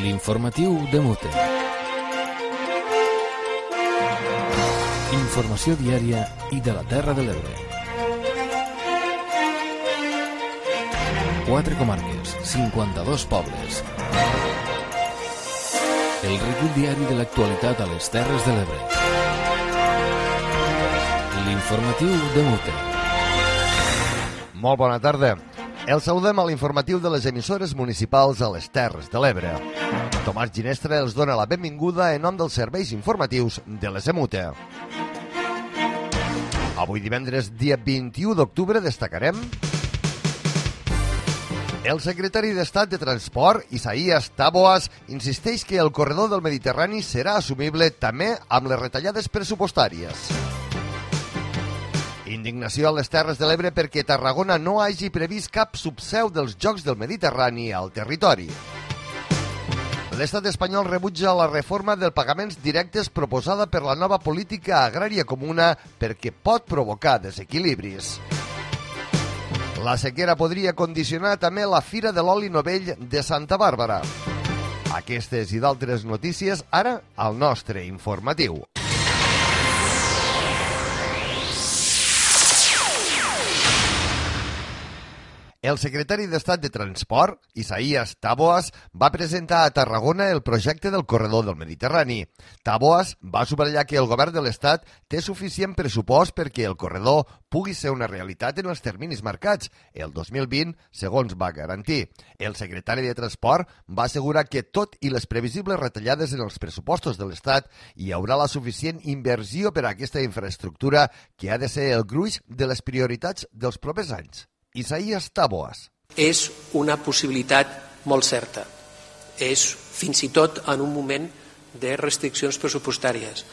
L'informatiu de Mute. Informació diària i de la Terra de l'Ebre. 4 comarques, 52 pobles. El recull diari de l'actualitat a les Terres de l'Ebre. L'informatiu de Mute. Molt bona tarda. El saludem a l'informatiu de les emissores municipals a les Terres de l'Ebre. Tomàs Ginestra els dona la benvinguda en nom dels serveis informatius de les EMUTE. Avui divendres, dia 21 d'octubre, destacarem el secretari d'Estat de Transport, Isaías Taboas, insisteix que el corredor del Mediterrani serà assumible també amb les retallades pressupostàries. Indignació a les Terres de l'Ebre perquè Tarragona no hagi previst cap subseu dels Jocs del Mediterrani al territori. L'estat espanyol rebutja la reforma dels pagaments directes proposada per la nova política agrària comuna perquè pot provocar desequilibris. La sequera podria condicionar també la Fira de l'Oli Novell de Santa Bàrbara. Aquestes i d'altres notícies ara al nostre informatiu. El secretari d'Estat de Transport, Isaías Taboas, va presentar a Tarragona el projecte del corredor del Mediterrani. Taboas va subratllar que el govern de l'Estat té suficient pressupost perquè el corredor pugui ser una realitat en els terminis marcats, el 2020, segons va garantir. El secretari de Transport va assegurar que tot i les previsibles retallades en els pressupostos de l'Estat hi haurà la suficient inversió per a aquesta infraestructura que ha de ser el gruix de les prioritats dels propers anys. Isaías Taboas. És una possibilitat molt certa. És fins i tot en un moment de restriccions pressupostàries.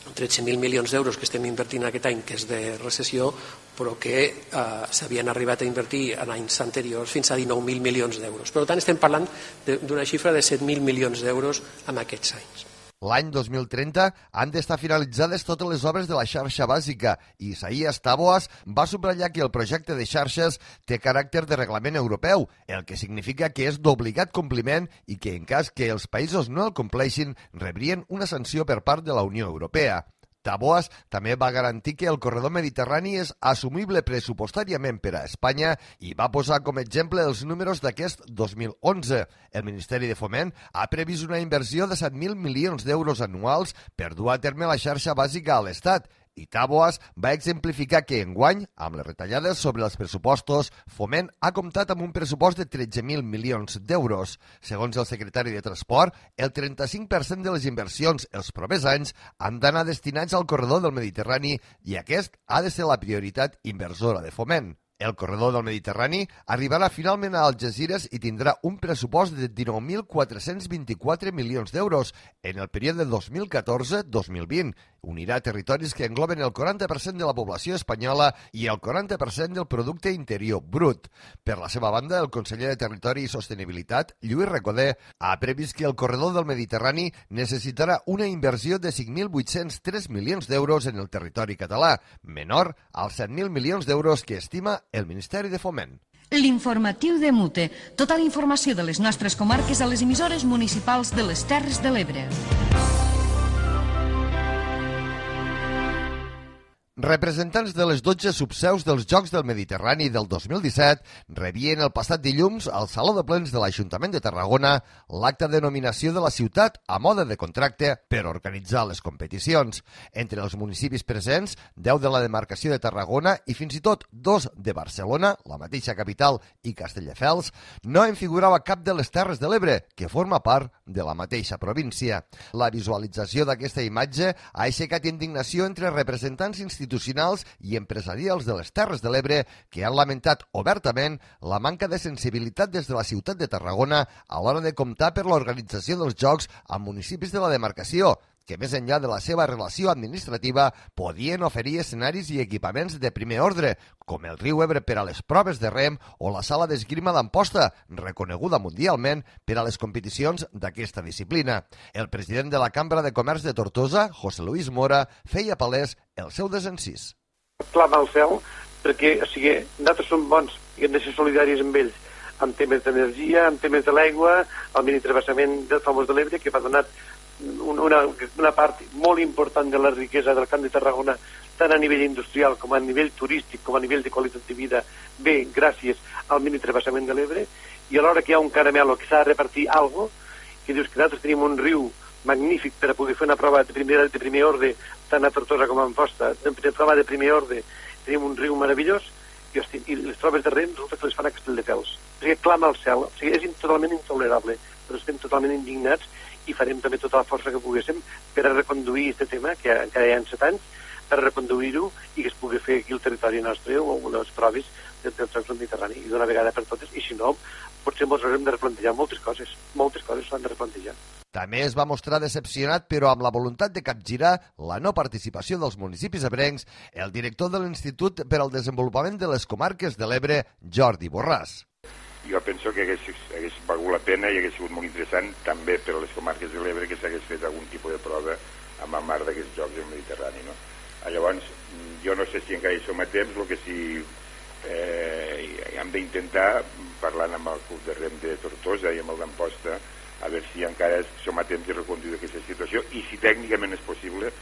13.000 milions d'euros que estem invertint aquest any, que és de recessió, però que s'havien arribat a invertir en anys anteriors fins a 19.000 milions d'euros. Per tant, estem parlant d'una xifra de 7.000 milions d'euros en aquests anys. L'any 2030 han d'estar finalitzades totes les obres de la xarxa bàsica i Isaías Taboas va subratllar que el projecte de xarxes té caràcter de reglament europeu, el que significa que és d'obligat compliment i que en cas que els països no el compleixin rebrien una sanció per part de la Unió Europea. Taboas també va garantir que el corredor mediterrani és assumible pressupostàriament per a Espanya i va posar com a exemple els números d'aquest 2011. El Ministeri de Foment ha previst una inversió de 7.000 milions d'euros anuals per dur a terme la xarxa bàsica a l'Estat. I Taboas va exemplificar que enguany, amb les retallades sobre els pressupostos, Foment ha comptat amb un pressupost de 13.000 milions d'euros. Segons el secretari de Transport, el 35% de les inversions els propers anys han d'anar destinats al corredor del Mediterrani i aquest ha de ser la prioritat inversora de Foment. El corredor del Mediterrani arribarà finalment a Algesires i tindrà un pressupost de 19.424 milions d'euros en el període 2014-2020. Unirà territoris que engloben el 40% de la població espanyola i el 40% del producte interior brut. Per la seva banda, el conseller de Territori i Sostenibilitat, Lluís Recoder, ha previst que el corredor del Mediterrani necessitarà una inversió de 5.803 milions d'euros en el territori català, menor als 7.000 milions d'euros que estima el Ministeri de Foment. L'informatiu de Mute. Tota la informació de les nostres comarques a les emissores municipals de les Terres de l'Ebre. Representants de les 12 subseus dels Jocs del Mediterrani del 2017 rebien el passat dilluns al Saló de Plens de l'Ajuntament de Tarragona l'acte de nominació de la ciutat a mode de contracte per organitzar les competicions. Entre els municipis presents, 10 de la demarcació de Tarragona i fins i tot 2 de Barcelona, la mateixa capital i Castelldefels, no en figurava cap de les Terres de l'Ebre, que forma part de la mateixa província. La visualització d'aquesta imatge ha aixecat indignació entre representants institucionals i empresarials de les Terres de l'Ebre que han lamentat obertament la manca de sensibilitat des de la ciutat de Tarragona a l'hora de comptar per l'organització dels Jocs amb municipis de la demarcació, que més enllà de la seva relació administrativa podien oferir escenaris i equipaments de primer ordre, com el riu Ebre per a les proves de rem o la sala d'esgrima d'Amposta, reconeguda mundialment per a les competicions d'aquesta disciplina. El president de la Cambra de Comerç de Tortosa, José Luis Mora, feia palès el seu desencís. Clama al cel perquè, nosaltres som bons i hem de ser solidaris amb ells. amb temes d'energia, amb temes de l'aigua, el mini-travessament del famós de l'Ebre, que va donar una part molt important de la riquesa del Camp de Tarragona, tant a nivell industrial com a nivell turístic, com a nivell de qualitat de vida, bé, gràcies al mini-travessament de l'Ebre, i alhora que hi ha un caramelo que s'ha de repartir alguna cosa, que dius que nosaltres tenim un riu magnífic per a poder fer una prova de primer ordre, tant a Tortosa com a Amposta, de prova de primer ordre, tenim un riu meravellós, i les proves de rem resulta que les fan a Castelldefels. O sigui, clama al cel, o sigui, és totalment intolerable, però estem totalment indignats i farem també tota la força que poguéssim per a reconduir aquest tema, que encara hi ha 7 anys, per a reconduir-ho i que es pugui fer aquí al territori nostre o les proves dels Jocs del Mediterrani, i d'una vegada per totes, i si no, potser ens haurem de replantejar moltes coses s'han de replantejar. També es va mostrar decepcionat, però amb la voluntat de capgirar la no participació dels municipis ebrencs, el director de l'Institut per al Desenvolupament de les Comarques de l'Ebre, Jordi Borràs. Jo penso que hagués valgut la pena i hagués sigut molt interessant també per a les comarques de l'Ebre que s'hagués fet algun tipus de prova amb el mar d'aquests Jocs del Mediterrani, no? Llavors, jo no sé si encara hi som a temps, el que sí hem d'intentar, parlant amb el Club de Rem de Tortosa i amb el d'Amposta, a veure si encara som a temps de reconduir aquesta situació i si tècnicament és possible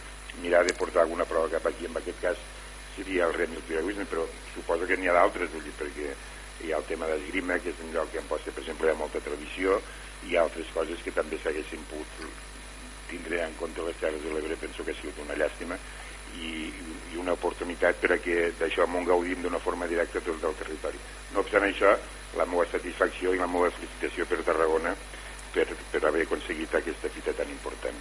mirar de portar alguna prova cap aquí. En aquest cas seria el rem i el piragüisme, però suposo que n'hi ha d'altres, perquè hi ha el tema d'esgrima, que és un lloc que en Amposta, per exemple, hi ha molta tradició, i hi ha altres coses que també s'haguessin pogut tindre en compte les Terres de l'Ebre. Penso que ha sigut una llàstima i una oportunitat per a que d'això en gaudim d'una forma directa tot el territori. No obstant això, la meva satisfacció i la meva felicitació per Tarragona per haver aconseguit aquesta fita tan important.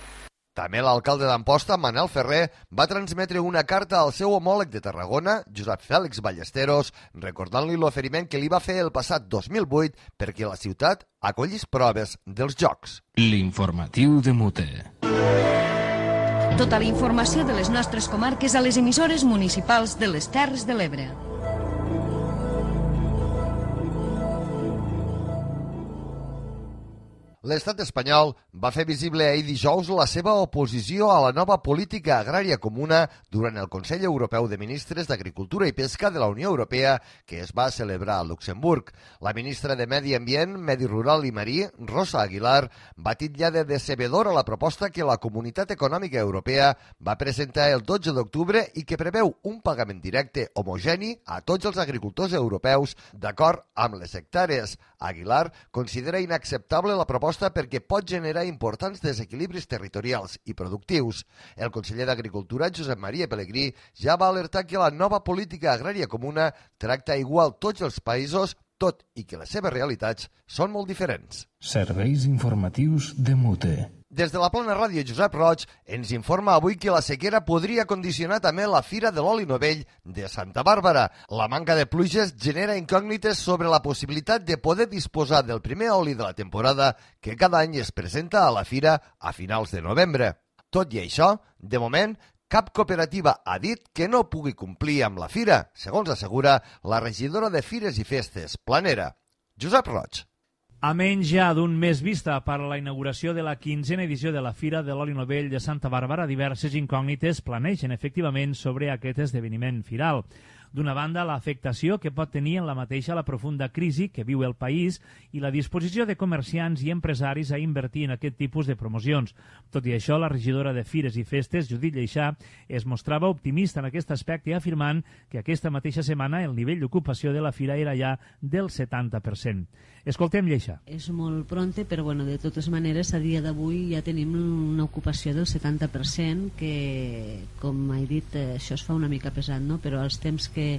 També l'alcalde d'Amposta, Manel Ferrer, va transmetre una carta al seu homòleg de Tarragona, Josep Fèlix Ballesteros, recordant-li l'oferiment que li va fer el passat 2008 perquè la ciutat acollís proves dels Jocs. L'informatiu de Mute. Tota la informació de les nostres comarques a les emissores municipals de les Terres de l'Ebre. L'estat espanyol va fer visible ahir dijous la seva oposició a la nova política agrària comuna durant el Consell Europeu de Ministres d'Agricultura i Pesca de la Unió Europea que es va celebrar a Luxemburg. La ministra de Medi Ambient, Medi Rural i Marí, Rosa Aguilar, va titllar de decebedora la proposta que la Comunitat Econòmica Europea va presentar el 12 d'octubre i que preveu un pagament directe homogeni a tots els agricultors europeus d'acord amb les hectàrees. Aguilar considera inacceptable la proposta perquè pot generar importants desequilibris territorials i productius. El conseller d'Agricultura, Josep Maria Pelegrí, ja va alertar que la nova política agrària comuna tracta igual tots els països, tot i que les seves realitats són molt diferents. Serveis informatius de Mute. Des de la Plana Ràdio, Josep Roig ens informa avui que la sequera podria condicionar també la Fira de l'Oli Novell de Santa Bàrbara. La manca de pluges genera incògnites sobre la possibilitat de poder disposar del primer oli de la temporada que cada any es presenta a la fira a finals de novembre. Tot i això, de moment, cap cooperativa ha dit que no pugui complir amb la fira, segons assegura la regidora de Fires i Festes, Planera, Josep Roig. A menys ja d'un mes vista per a la inauguració de la 15a edició de la Fira de l'Oli Novell de Santa Bàrbara, diverses incògnites planegen efectivament sobre aquest esdeveniment firal. D'una banda, l'afectació que pot tenir en la mateixa la profunda crisi que viu el país i la disposició de comerciants i empresaris a invertir en aquest tipus de promocions. Tot i això, la regidora de Fires i Festes, Judit Lleixà, es mostrava optimista en aquest aspecte, afirmant que aquesta mateixa setmana el nivell d'ocupació de la fira era ja del 70%. Escoltem Lleixà. És molt pronte, però bueno, de totes maneres, a dia d'avui ja tenim una ocupació del 70%, que, com he dit, això es fa una mica pesat, no? Però els temps que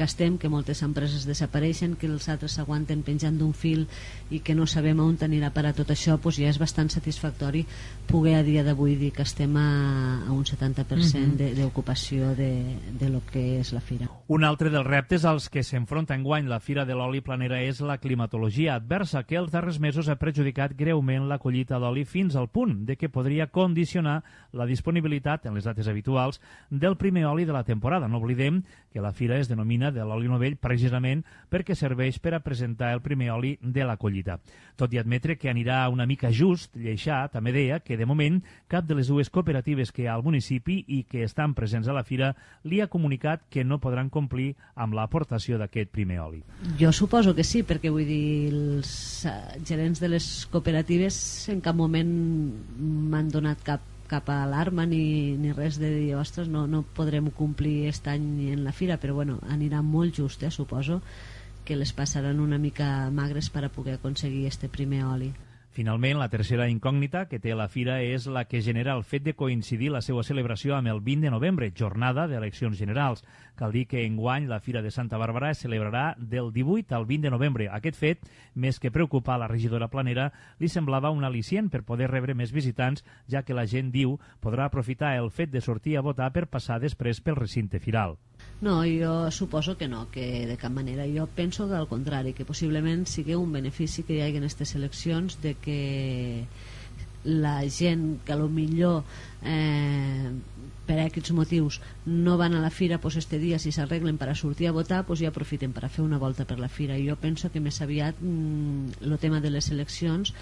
estem, que moltes empreses desapareixen, que els altres s'aguanten penjant d'un fil i que no sabem on anirà a parar tot això, doncs ja és bastant satisfactori poder a dia d'avui dir que estem a un 70% d'ocupació de lo que és la fira. Un altre dels reptes als que s'enfronta enguany la Fira de l'Oli Planera és la climatologia adversa, que els darrers mesos ha perjudicat greument la collita d'oli fins al punt de que podria condicionar la disponibilitat, en les dates habituals, del primer oli de la temporada. No oblidem que la Fira fira es denomina de l'oli novell precisament perquè serveix per a presentar el primer oli de la collita. Tot i admetre que anirà una mica just, Lleixà també deia que de moment cap de les dues cooperatives que hi ha al municipi i que estan presents a la fira li ha comunicat que no podran complir amb l'aportació d'aquest primer oli. Jo suposo que sí, perquè vull dir, els gerents de les cooperatives en cap moment m'han donat cap alarma ni res de dir, ostres, no podrem complir aquest any en la fira, però bueno, anirà molt just, suposo que les passaran una mica magres per a poder aconseguir este primer oli. Finalment, la tercera incògnita que té la fira és la que genera el fet de coincidir la seva celebració amb el 20 de novembre, jornada d'eleccions generals. Cal dir que enguany la Fira de Santa Bàrbara es celebrarà del 18 al 20 de novembre. Aquest fet, més que preocupar la regidora planera, li semblava un al·licient per poder rebre més visitants, ja que la gent, diu, podrà aprofitar el fet de sortir a votar per passar després pel recinte firal. No, jo suposo que no, que de cap manera. Jo penso que al contrari, que possiblement sigui un benefici que hi hagi en aquestes eleccions, de que la gent que millor per aquests motius no van a la fira, pues este dia si s'arreglen per a sortir a votar, pues ja aprofiten per a fer una volta per la fira. Jo penso que més aviat el tema de les eleccions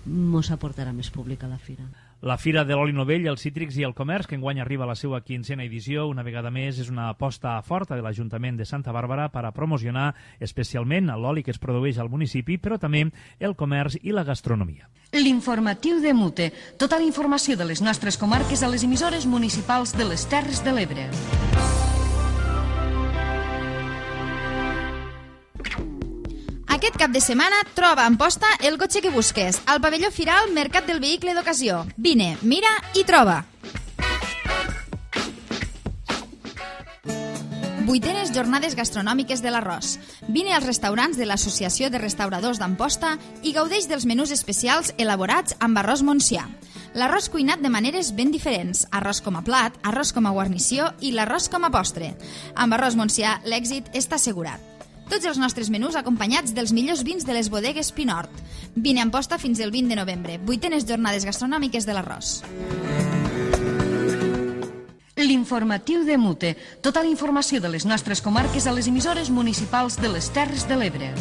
mos aportarà més públic a la fira. La Fira de l'Oli Novell, els cítrics i el comerç, que enguany arriba a la seva 15a edició, una vegada més és una aposta forta de l'Ajuntament de Santa Bàrbara per a promocionar especialment l'oli que es produeix al municipi, però també el comerç i la gastronomia. L'informatiu de Mute. Tota la informació de les nostres comarques a les emissores municipals de les Terres de l'Ebre. Aquest cap de setmana troba a Amposta el cotxe que busques, al pavelló Firal Mercat del Vehicle d'Ocasió. Vine, mira i troba. 8enes jornades gastronòmiques de l'Arròs. Vine als restaurants de l'Associació de Restauradors d'Amposta i gaudeix dels menús especials elaborats amb arròs montsià. L'arròs cuinat de maneres ben diferents, arròs com a plat, arròs com a guarnició i l'arròs com a postre. Amb arròs montsià l'èxit està assegurat. Tots els nostres menús acompanyats dels millors vins de les bodegues Pinort. Vine a Amposta fins el 20 de novembre. 8enes jornades gastronòmiques de l'Arròs. L'informatiu de Mute. Tota la informació de les nostres comarques a les emissores municipals de les Terres de l'Ebre.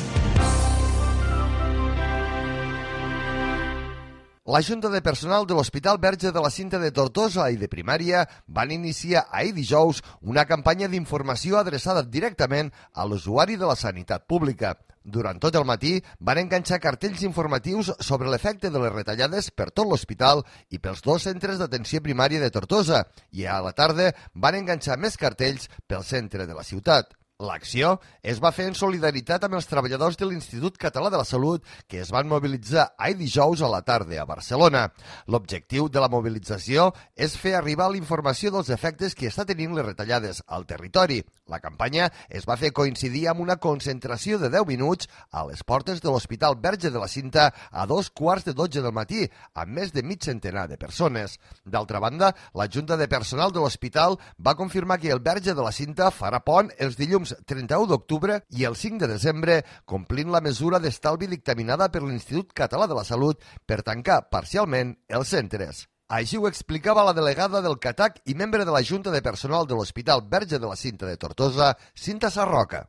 La Junta de Personal de l'Hospital Verge de la Cinta de Tortosa i de Primària van iniciar ahir dijous una campanya d'informació adreçada directament a l'usuari de la sanitat pública. Durant tot el matí van enganxar cartells informatius sobre l'efecte de les retallades per tot l'hospital i pels 2 centres d'atenció primària de Tortosa i a la tarda van enganxar més cartells pel centre de la ciutat. L'acció es va fer en solidaritat amb els treballadors de l'Institut Català de la Salut que es van mobilitzar ahir dijous a la tarda a Barcelona. L'objectiu de la mobilització és fer arribar la informació dels efectes que està tenint les retallades al territori. La campanya es va fer coincidir amb una concentració de 10 minuts a les portes de l'Hospital Verge de la Cinta a 2:15 del matí, amb més de mig centenar de persones. D'altra banda, la Junta de Personal de l'Hospital va confirmar que el Verge de la Cinta farà pont els dilluns 31 d'octubre i el 5 de desembre, complint la mesura d'estalvi dictaminada per l'Institut Català de la Salut per tancar parcialment els centres. Així ho explicava la delegada del CATAC i membre de la Junta de Personal de l'Hospital Verge de la Cinta de Tortosa, Cinta Sarroca.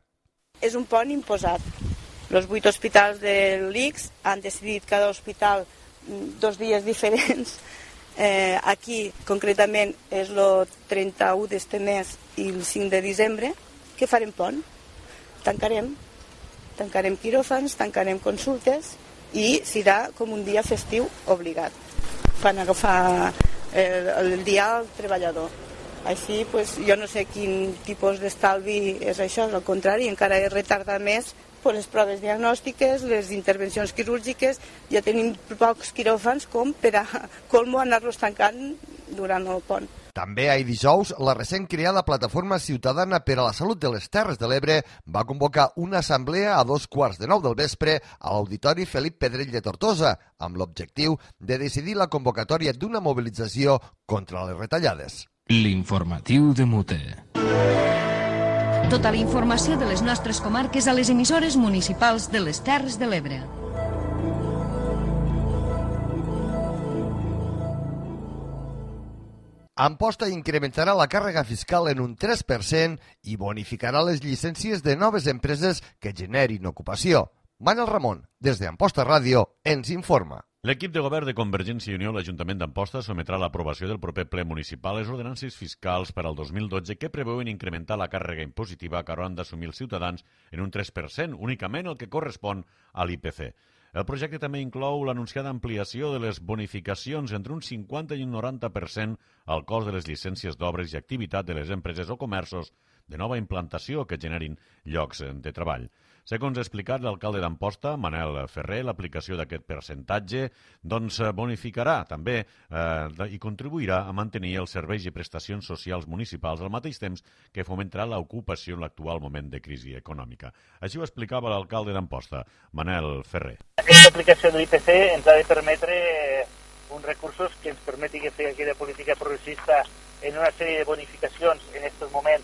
És un pont imposat. Els 8 hospitals de l'ICS han decidit cada hospital 2 dies diferents. Aquí, concretament, és el 31 d'este mes i el 5 de desembre. Què farem pont? Tancarem quiròfans, tancarem consultes i serà com un dia festiu obligat. Fan agafar el dia al treballador. Així, jo no sé quin tipus d'estalvi és això, al contrari, encara es retarda més les proves diagnòstiques, les intervencions quirúrgiques. Ja tenim pocs quiròfans com per a colmo anar-los tancant durant el pont. També ahir dijous, la recent creada Plataforma Ciutadana per a la Salut de les Terres de l'Ebre va convocar una assemblea a 2:15 del vespre a l'Auditori Felip Pedrell de Tortosa, amb l'objectiu de decidir la convocatòria d'una mobilització contra les retallades. L'informatiu de Mute. Tota la informació de les nostres comarques a les emissores municipals de les Terres de l'Ebre. Amposta incrementarà la càrrega fiscal en un 3% i bonificarà les llicències de noves empreses que generin ocupació. Manel Ramon, des d'Amposta Ràdio, ens informa. L'equip de govern de Convergència i Unió, l'Ajuntament d'Amposta, sometrà a l'aprovació del proper ple municipal les ordenances fiscals per al 2012 que preveuen incrementar la càrrega impositiva que hauran d'assumir els ciutadans en un 3%, únicament el que correspon a l'IPC. El projecte també inclou l'anunciada ampliació de les bonificacions entre un 50 i un 90% al cost de les llicències d'obres i activitat de les empreses o comerços de nova implantació que generin llocs de treball. Segons ha explicat l'alcalde d'Amposta, Manel Ferrer, l'aplicació d'aquest percentatge bonificarà també i contribuirà a mantenir els serveis i prestacions socials municipals al mateix temps que fomentarà l'ocupació en l'actual moment de crisi econòmica. Així ho explicava l'alcalde d'Amposta, Manel Ferrer. Aquesta aplicació de l'IPC ens ha de permetre uns recursos que ens permeti fer aquella política progressista en una sèrie de bonificacions en aquests moments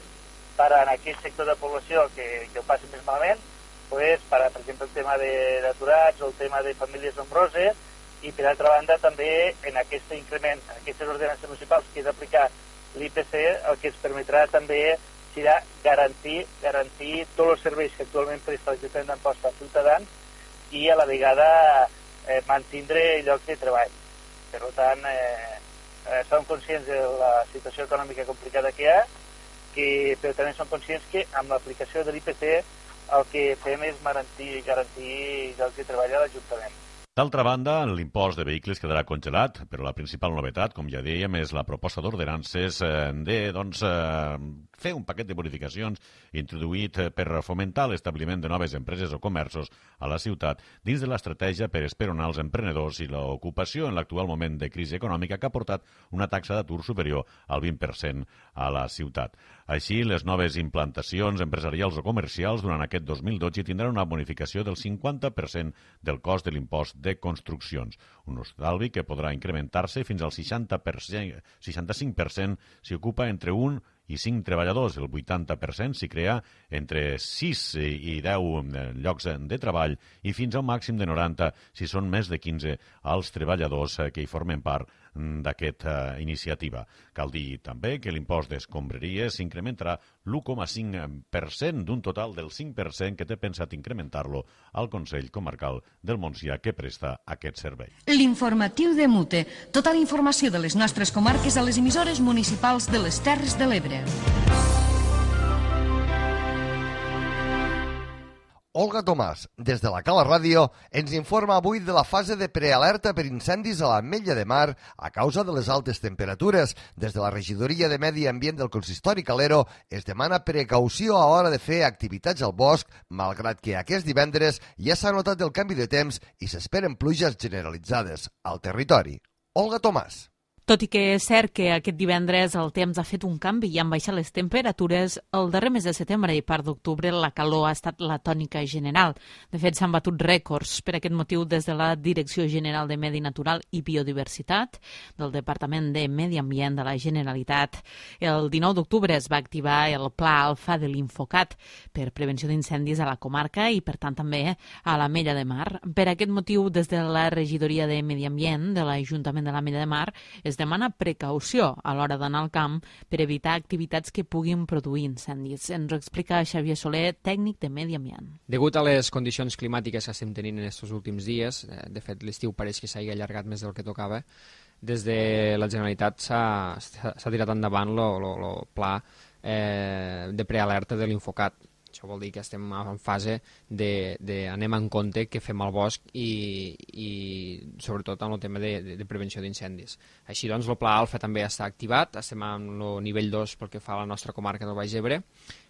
per a aquell sector de població que ho passi més malament, per exemple, el tema d'aturats o el tema de famílies nombroses, i per altra banda també en aquest increment, en aquestes ordenances municipals que és aplicar l'IPC, el que ens permetrà també serà garantir tots els serveis que actualment presta l'Ajuntament d'Amposta als ciutadans i a la vegada mantindre llocs de treball. Per tant, som conscients de la situació econòmica complicada que hi ha, però també som conscients que amb l'aplicació de l'IPC el que fem és garantir llocs de treball a l'Ajuntament. D'altra banda, l'impost de vehicles quedarà congelat, però la principal novetat, com ja dèiem, és la proposta d'ordenances de fer un paquet de bonificacions introduït per fomentar l'establiment de noves empreses o comerços a la ciutat dins de l'estratègia per esperonar els emprenedors i l'ocupació en l'actual moment de crisi econòmica que ha portat una taxa d'atur superior al 20% a la ciutat. Així, les noves implantacions empresarials o comercials durant aquest 2012 tindran una bonificació del 50% del cost de l'impost de construccions, un estalvi que podrà incrementar-se fins al 65% si ocupa entre 1 i 5 treballadors, el 80% si crea entre 6 i 10 llocs de treball i fins a un màxim de 90 si són més de 15 els treballadors que hi formen part d'aquesta iniciativa. Cal dir també que l'impost d'escombraries s'incrementarà l'1,5% d'un total del 5% que té pensat incrementar-lo al Consell Comarcal del Montsià que presta aquest servei. L'informatiu de Mute. Tota la informació de les nostres comarques a les emissores municipals de les Terres de l'Ebre. Olga Tomàs, des de la Cala Ràdio, ens informa avui de la fase de prealerta per incendis a l'Ametlla de Mar a causa de les altes temperatures. Des de la Regidoria de Medi Ambient del Consistori Calero es demana precaució a l'hora de fer activitats al bosc, malgrat que aquest divendres ja s'ha notat el canvi de temps i s'esperen pluges generalitzades al territori. Olga Tomàs. Tot i que és cert que aquest divendres el temps ha fet un canvi i han baixat les temperatures, el darrer mes de setembre i part d'octubre la calor ha estat la tònica general. De fet, s'han batut rècords. Per aquest motiu, des de la Direcció General de Medi Natural i Biodiversitat del Departament de Medi Ambient de la Generalitat, el 19 d'octubre es va activar el Pla Alfa de l'Infocat per prevenció d'incendis a la comarca i, per tant, també a l'Ametlla de Mar. Per aquest motiu, des de la Regidoria de Medi Ambient de l'Ajuntament de l'Ametlla de Mar es demana precaució a l'hora d'anar al camp per evitar activitats que puguin produir incendis. Ens ho explica Xavier Soler, tècnic de Medi Ambient. Degut a les condicions climàtiques que estem tenint en aquests últims dies, de fet l'estiu pareix que s'hagi allargat més del que tocava, des de la Generalitat s'ha tirat endavant el pla de prealerta de l'Infocat. Això vol dir que estem en fase d'anem en compte què fem al bosc i sobretot en el tema de prevenció d'incendis. Així doncs, el Pla Alfa també està activat, estem en el nivell 2 pel que fa a la nostra comarca del Baix Ebre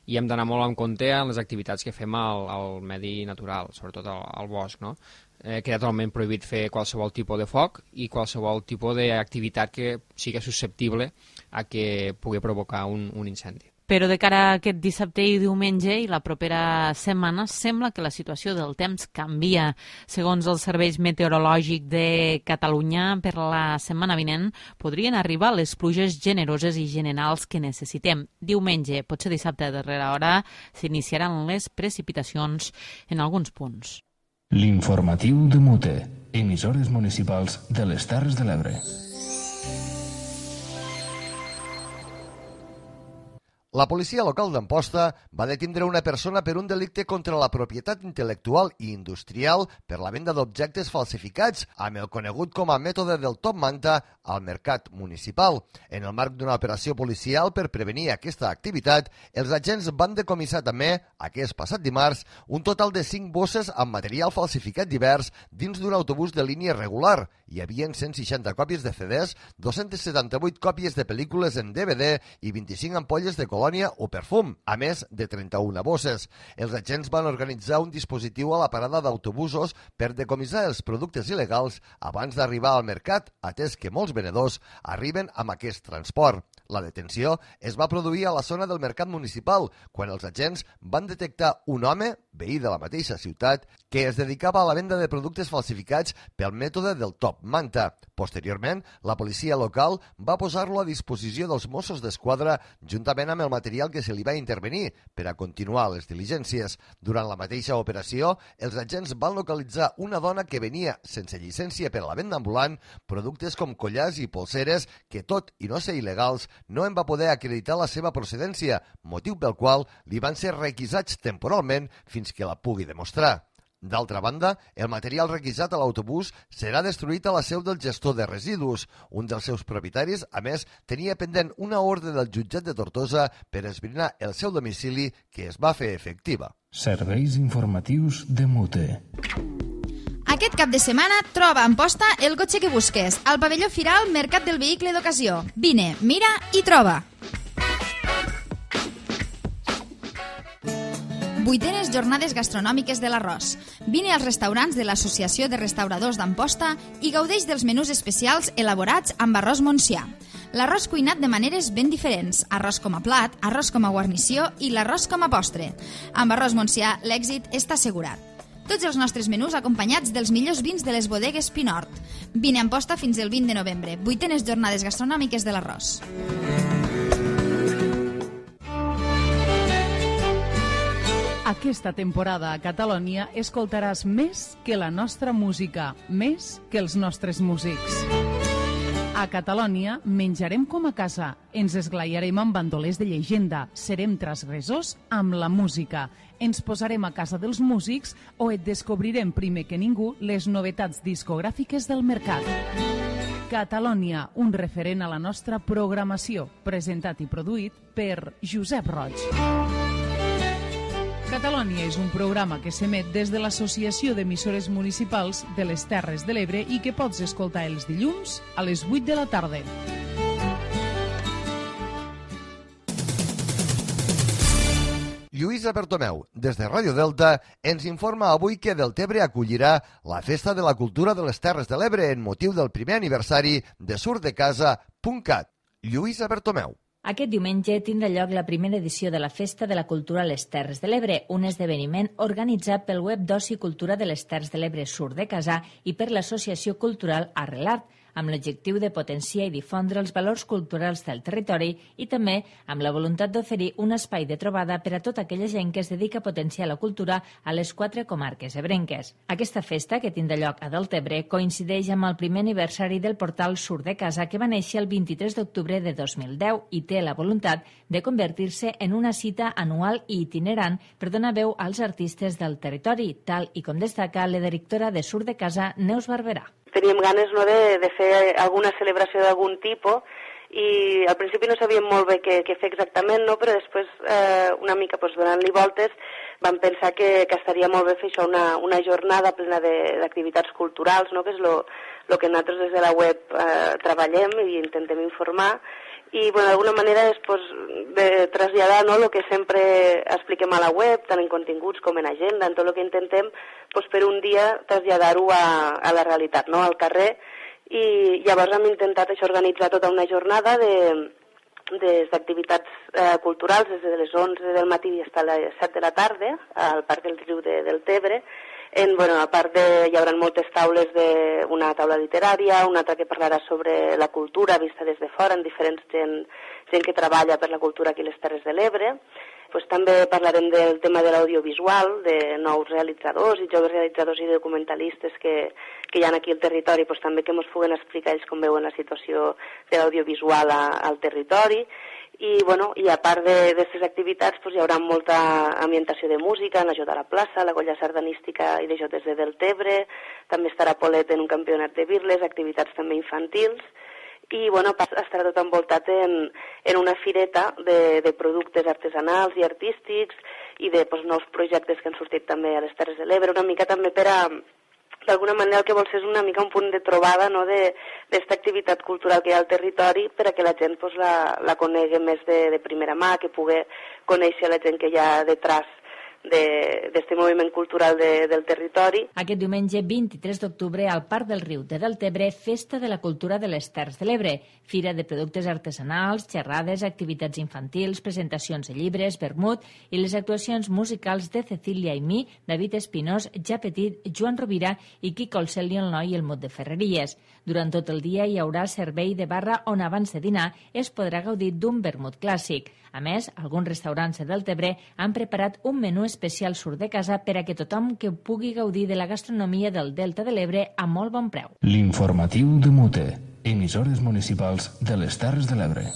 i hem d'anar molt en compte en les activitats que fem al medi natural, sobretot al bosc, no? Queda totalment prohibit fer qualsevol tipus de foc i qualsevol tipus d'activitat que sigui susceptible a que pugui provocar un incendi. Però de cara a aquest dissabte i diumenge i la propera setmana sembla que la situació del temps canvia. Segons els serveis meteorològics de Catalunya, per la setmana vinent podrien arribar les pluges generoses i generals que necessitem. Diumenge, potser dissabte a darrera hora, s'iniciaran les precipitacions en alguns punts. L'informatiu de Mute, emissores municipals de les Terres de l'Ebre. La policia local d'Amposta va detindre una persona per un delicte contra la propietat intel·lectual i industrial per la venda d'objectes falsificats amb el conegut com a mètode del top manta al mercat municipal. En el marc d'una operació policial per prevenir aquesta activitat, els agents van decomissar també, aquest passat dimarts, un total de 5 bosses amb material falsificat divers dins d'un autobús de línia regular. Hi havia 160 còpies de CDs, 278 còpies de pel·lícules en DVD i 25 ampolles de colònia o perfum, a més de 31 bosses. Els agents van organitzar un dispositiu a la parada d'autobusos per decomissar els productes il·legals abans d'arribar al mercat, atès que molts venedors arriben amb aquest transport. La detenció es va produir a la zona del mercat municipal, quan els agents van detectar un home, veí de la mateixa ciutat, que es dedicava a la venda de productes falsificats pel mètode del top manta. Posteriorment, la policia local va posar-lo a disposició dels Mossos d'Esquadra juntament amb el material que se li va intervenir per a continuar les diligències. Durant la mateixa operació, els agents van localitzar una dona que venia sense llicència per a la venda ambulant productes com collars i polseres que, tot i no ser il·legals, no en va poder acreditar la seva procedència, motiu pel qual li van ser requisats temporalment fins que la pugui demostrar. D'altra banda, el material requisat a l'autobús serà destruït a la seu del gestor de residus. Un dels seus propietaris, a més, tenia pendent una ordre del jutjat de Tortosa per esbrinar el seu domicili, que es va fer efectiva. Serveis informatius de Mute. Aquest cap de setmana troba a Amposta el cotxe que busques, al pavelló Firal Mercat del Vehicle d'Ocasió. Vine, mira i troba. 8enes Jornades Gastronòmiques de l'Arròs. Vine als restaurants de l'Associació de Restauradors d'Amposta i gaudeix dels menús especials elaborats amb arròs montsià. L'arròs cuinat de maneres ben diferents, arròs com a plat, arròs com a guarnició i l'arròs com a postre. Amb arròs montsià l'èxit està assegurat. Tots els nostres menús acompanyats dels millors vins de les bodegues Pinort. Vine a Amposta fins el 20 de novembre. 8enes Jornades Gastronòmiques de l'Arròs. Aquesta temporada a Catalònia escoltaràs més que la nostra música, més que els nostres músics. A Catalònia menjarem com a casa, ens esglaiarem amb bandolers de llegenda, serem transgressors amb la música, ens posarem a casa dels músics o et descobrirem primer que ningú les novetats discogràfiques del mercat. Catalònia, un referent a la nostra programació, presentat i produït per Josep Roig. Catalònia és un programa que s'emet des de l'Associació d'Emissores Municipals de les Terres de l'Ebre i que pots escoltar els dilluns a les 8 de la tarda. Lluïsa Bertomeu, des de Ràdio Delta, ens informa avui que Deltebre acollirà la Festa de la Cultura de les Terres de l'Ebre en motiu del primer aniversari de surtdecasa.cat. Lluïsa Bertomeu. Aquest diumenge tindrà lloc la primera edició de la Festa de la Cultura a les Terres de l'Ebre, un esdeveniment organitzat pel web d'Oci i Cultura de les Terres de l'Ebre Surt-de-Casà i per l'Associació Cultural Arrelart, amb l'objectiu de potenciar i difondre els valors culturals del territori i també amb la voluntat d'oferir un espai de trobada per a tota aquella gent que es dedica a potenciar la cultura a les 4 comarques ebrenques. Aquesta festa, que tindrà lloc a Deltebre, coincideix amb el primer aniversari del portal Surt-de-Casa, que va néixer el 23 d'octubre de 2010 i té la voluntat de convertir-se en una cita anual i itinerant per donar veu als artistes del territori, tal i com destaca la directora de Surt-de-Casa, Neus Barberà. Teníem ganes de fer alguna celebració d'algun tipus i al principi no sabíem molt bé què fer exactament, però després una mica donant-li voltes vam pensar que estaria molt bé fer això, una jornada plena d'activitats culturals, que és el que nosaltres des de la web treballem i intentem informar, i d'alguna manera després de traslladar el que sempre expliquem a la web, tant en continguts com en agenda, en tot el que intentem per un dia traslladar-ho a la realitat, al carrer, i llavors hem intentat organitzar tota una jornada d'activitats culturals des de les 11 del matí fins a les 7 de la tarda al Parc del Riu de Deltebre. A part hi haurà moltes taules, una taula literària, una altra que parlarà sobre la cultura vista des de fora, en diferents gent que treballa per la cultura aquí a les Terres de l'Ebre. També parlarem del tema de l'audiovisual, de nous realitzadors i joves realitzadors i documentalistes que hi ha aquí al territori, també que ens puguen explicar ells com veuen la situació de l'audiovisual al territori. I a part d'aquestes activitats hi haurà molta ambientació de música en la Jota a la plaça, la colla sardanística i de jotes de Deltebre, també estarà Polet en un campionat de birles, activitats també infantils, i estarà tot envoltat en una fireta de productes artesanals i artístics i de nous projectes que han sortit també a les Terres de l'Ebre, una mica també per a, d'alguna manera el que vol ser és una mica un punt de trobada d'esta activitat cultural que hi ha al territori per a que la gent la conegui més de primera mà, que pugui conèixer la gent que hi ha detrás d'aquest moviment cultural del territori. Aquest diumenge 23 d'octubre al Parc del Riu de Deltebre, Festa de la Cultura de les Terres de l'Ebre, fira de productes artesanals, xerrades, activitats infantils, presentacions de llibres, vermut i les actuacions musicals de Cecília i mi, David Espinós, Ja Petit, Joan Rovira i Quico el Cel i el Noi i el Mot de Ferreries. Durant tot el dia hi haurà servei de barra on abans de dinar es podrà gaudir d'un vermut clàssic. A més, alguns restaurants de Deltebre han preparat un menú especial surt de casa per a que tothom que pugui gaudir de la gastronomia del Delta de l'Ebre a molt bon preu. L'informatiu de Mute, emissores municipals de les Terres de l'Ebre.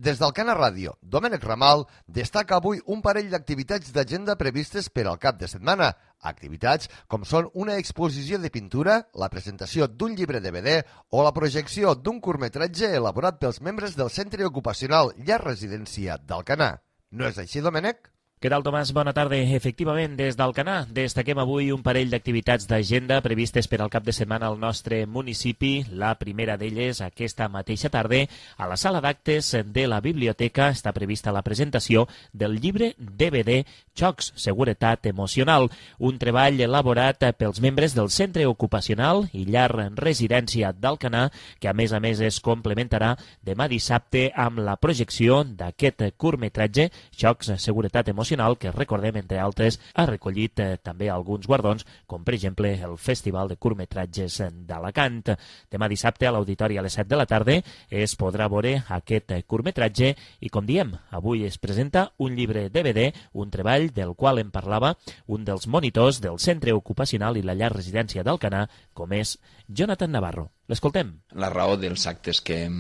Des d'Alcana Ràdio, Domènec Ramal destaca avui un parell d'activitats d'agenda previstes per al cap de setmana. Activitats com són una exposició de pintura, la presentació d'un llibre DVD o la projecció d'un curtmetratge elaborat pels membres del Centre Ocupacional Llar Residència d'Alcanar. No és així, Domènec? Què tal, Tomàs? Bona tarda. Efectivament, des d'Alcanar destaquem avui un parell d'activitats d'agenda previstes per al cap de setmana al nostre municipi. La primera d'elles, aquesta mateixa tarda, a la sala d'actes de la biblioteca està prevista la presentació del llibre DVD Xocs, Seguretat Emocional, un treball elaborat pels membres del Centre Ocupacional i Llar Residència d'Alcanar, que a més es complementarà demà dissabte amb la projecció d'aquest curtmetratge Xocs, Seguretat Emocional, que recordem, entre altres, ha recollit també alguns guardons, com per exemple el Festival de Curtmetratges d'Alacant. Demà dissabte a l'Auditori a les 7 de la tarda es podrà veure aquest curtmetratge i, com diem, avui es presenta un llibre DVD, un treball del qual en parlava un dels monitors del Centre Ocupacional i la Llar Residència d'Alcanar, com és Jonathan Navarro. L'escoltem. La raó dels actes que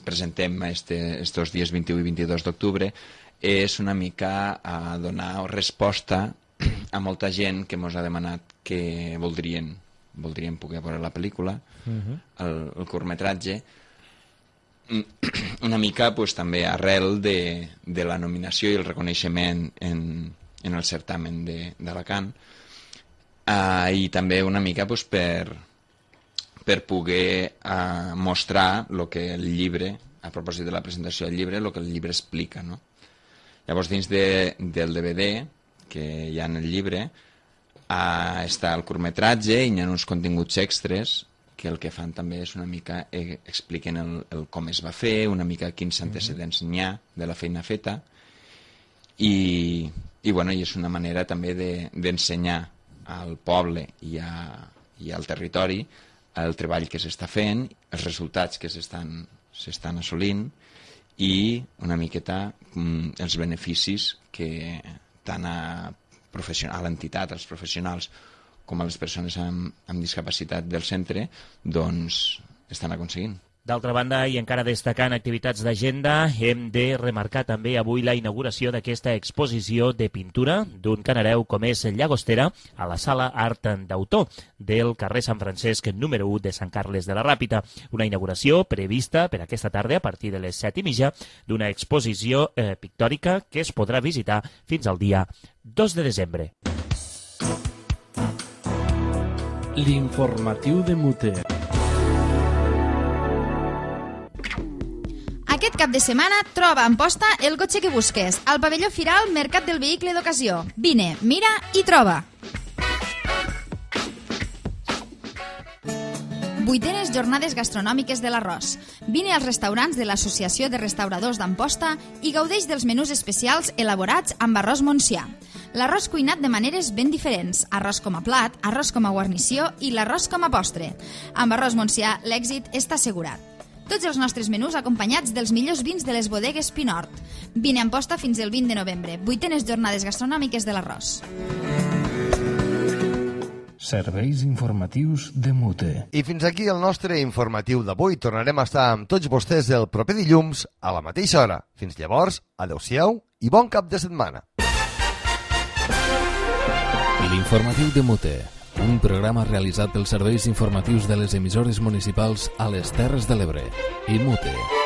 presentem estos dies 21 i 22 d'octubre és una mica a donar resposta a molta gent que ens ha demanat que voldrien poder veure la pel·lícula, el curtmetratge, una mica també arrel de la nominació i el reconeixement en el certamen d'Alacant, i també una mica per poder mostrar el que el llibre, a propòsit de la presentació del llibre, el que el llibre explica, no? Llavors, dins del DVD que hi ha en el llibre, està el curtmetratge i hi ha uns continguts extres que el que fan també és una mica expliquen el com es va fer, una mica quins antecedents n'hi ha de la feina feta i és una manera també d'ensenyar al poble i al territori el treball que s'està fent, els resultats que s'estan assolint i una miqueta els beneficis que tant a l'entitat, als professionals, com a les persones amb discapacitat del centre, doncs estan aconseguint. D'altra banda, i encara destacant activitats d'agenda, hem de remarcar també avui la inauguració d'aquesta exposició de pintura d'un canareu com és Llagostera a la Sala Art d'Autor del carrer Sant Francesc número 1 de Sant Carles de la Ràpita. Una inauguració prevista per aquesta tarda a partir de les 7:30 d'una exposició pictòrica que es podrà visitar fins al dia 2 de desembre. L'informatiu de Mute. Aquest cap de setmana troba a Amposta el cotxe que busques, al pavelló Firal Mercat del Vehicle d'Ocasió. Vine, mira i troba. 8enes Jornades Gastronòmiques de l'Arròs. Vine als restaurants de l'Associació de Restauradors d'Amposta i gaudeix dels menús especials elaborats amb arròs montsià. L'arròs cuinat de maneres ben diferents, arròs com a plat, arròs com a guarnició i l'arròs com a postre. Amb arròs montsià l'èxit està assegurat. Tots els nostres menús acompanyats dels millors vins de les bodegues Pinort. Vine a Amposta fins el 20 de novembre. 8enes Jornades Gastronòmiques de l'Arròs. Serveis informatius de Mute. I fins aquí el nostre informatiu d'avui. Tornarem a estar amb tots vostès el proper dilluns a la mateixa hora. Fins llavors, adeu-siau i bon cap de setmana. L'informatiu de Mute, un programa realitzat pels serveis informatius de les emissores municipals a les Terres de l'Ebre i Mute.